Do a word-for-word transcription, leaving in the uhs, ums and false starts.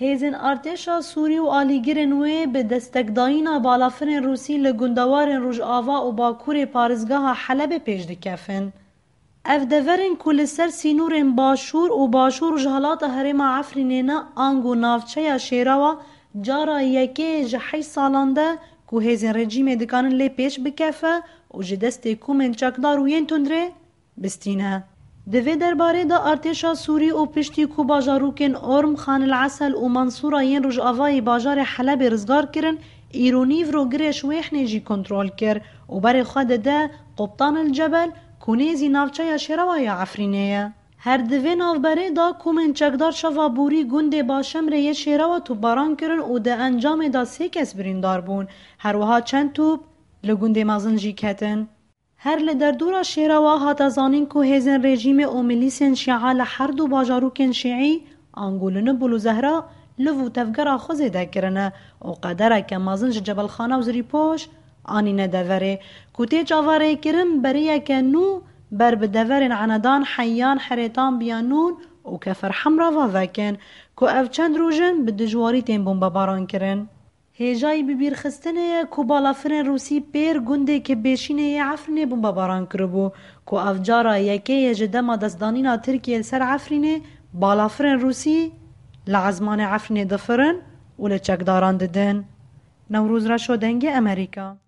Hêzên artêşa Sûrî û alîgirên wê bi destekdayîna balafirên Rûsî li gundewarên Rojava û Bakurê parêzgeha Helebê pêş dikevin. Ev deverên ku li ser sînorên Başûr û Başûr Rojhilata Herêma Efrînê ne, ango navçeya Şêrawa, cara yekê ji heşt salan de ku hêzên rejîmê dikanin lê pêş bikefe û ji destê komên çekdar û yên tundrê bistîne. Di vê derbarê de artêşa Sûrî û piştî ku bajarokên Orm, Xan el Esel û Mansûra yên rojavayê bajarê Helebê rizgar kirin, îro nîvro girê Şwêhnê jî kontrol kir û berê xwe dide Qubtan el Cebel ku nêzî navçeya Şêrewa ya Efrînê ye. Her di vê navberê de komên çekdar şeva borî gundê Başemrê yê Şêrewa topbaran kirin û di encamê de sê kes birîndar bûn. Her wiha çend top li gundê mezin jî ketin. Her li derdora Şêrewa hate zanîn ku hêzên rejîmê û milîsên şîa li her du bajarokên şîî, ango li Nibul û Zehra, liv û tevgera xwe zêde kirine û qedereke mezin ji Cebelxana û Zirîpoş anîne deverê, ku tê çaverêkirin beriyeke nû ber bi deverên Enedan, Heyyan, Herêtan, Biyanûn û Kefer Hemra ve vekin, ku ev çend roj in bi dijwarî tên bombebaran kirin. Hêjayî bibîrxistinê ye ku balafirên Rûsî pêr gundê Kibêşînê yê Efrînê bombebaran kiribû, ku ev cara yekê ye ji dema destdanîna Tirkiyê li ser Efrînê balafirên Rûsî li ezmanê Efrînê difirin û li çekdaran didin. Newroz Reşo, Dengê Emerîka.